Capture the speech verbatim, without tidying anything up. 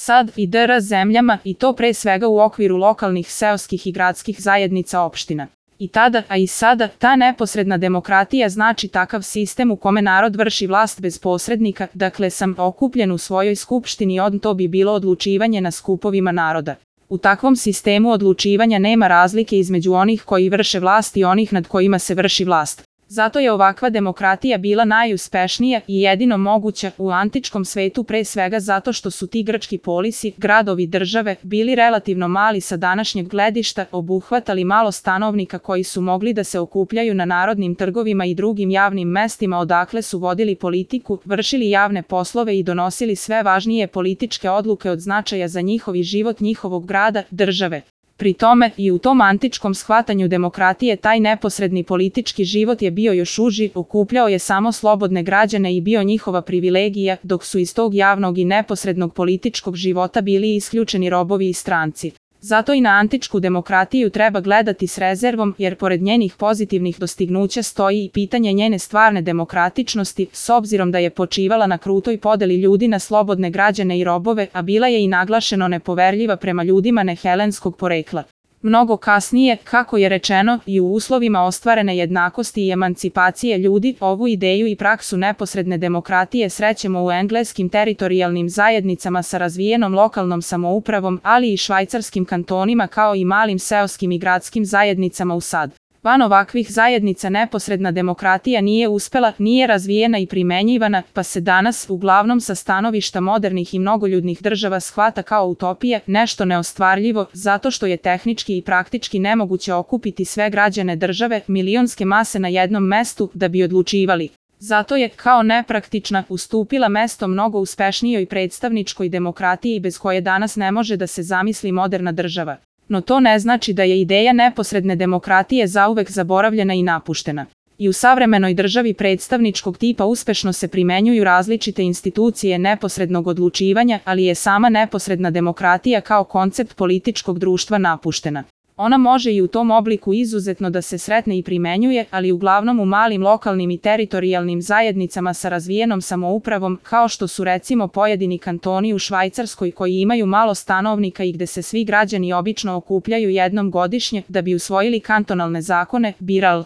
SAD i D R zemljama i to pre svega u okviru lokalnih seoskih i gradskih zajednica opština. I tada, a i sada, ta neposredna demokratija znači takav sistem u kome narod vrši vlast bez posrednika, dakle sam okupljen u svojoj skupštini, on to bi bilo odlučivanje na skupovima naroda. U takvom sistemu odlučivanja nema razlike između onih koji vrše vlast i onih nad kojima se vrši vlast. Zato je ovakva demokratija bila najuspešnija i jedino moguća u antičkom svetu, pre svega zato što su ti grčki polisi, gradovi države, bili relativno mali sa današnjeg gledišta, obuhvatali malo stanovnika koji su mogli da se okupljaju na narodnim trgovima i drugim javnim mestima odakle su vodili politiku, vršili javne poslove i donosili sve važnije političke odluke od značaja za njihov život njihovog grada, države. Pri tome, i u tom antičkom shvatanju demokratije taj neposredni politički život je bio još uži, okupljao je samo slobodne građane i bio njihova privilegija, dok su iz tog javnog i neposrednog političkog života bili isključeni robovi i stranci. Zato i na antičku demokratiju treba gledati s rezervom, jer pored njenih pozitivnih dostignuća stoji i pitanje njene stvarne demokratičnosti, s obzirom da je počivala na krutoj podeli ljudi na slobodne građane i robove, a bila je i naglašeno nepoverljiva prema ljudima nehelenskog porekla. Mnogo kasnije, kako je rečeno, i u uslovima ostvarene jednakosti i emancipacije ljudi, ovu ideju i praksu neposredne demokratije srećemo u engleskim teritorijalnim zajednicama sa razvijenom lokalnom samoupravom, ali i švajcarskim kantonima kao i malim seoskim i gradskim zajednicama u SAD. Van ovakvih zajednica neposredna demokratija nije uspela, nije razvijena i primenjivana, pa se danas, uglavnom sa stanovišta modernih i mnogoljudnih država, shvata kao utopija, nešto neostvarljivo, zato što je tehnički i praktički nemoguće okupiti sve građane države, milionske mase na jednom mestu, da bi odlučivali. Zato je, kao nepraktična, ustupila mesto mnogo uspešnijoj predstavničkoj demokratiji bez koje danas ne može da se zamisli moderna država. No to ne znači da je ideja neposredne demokratije zauvek zaboravljena i napuštena. I u savremenoj državi predstavničkog tipa uspešno se primenjuju različite institucije neposrednog odlučivanja, ali je sama neposredna demokratija kao koncept političkog društva napuštena. Ona može i u tom obliku izuzetno da se sretne i primenjuje, ali uglavnom u malim lokalnim i teritorijalnim zajednicama sa razvijenom samoupravom, kao što su recimo pojedini kantoni u Švajcarskoj koji imaju malo stanovnika i gde se svi građani obično okupljaju jednom godišnje da bi usvojili kantonalne zakone, biral.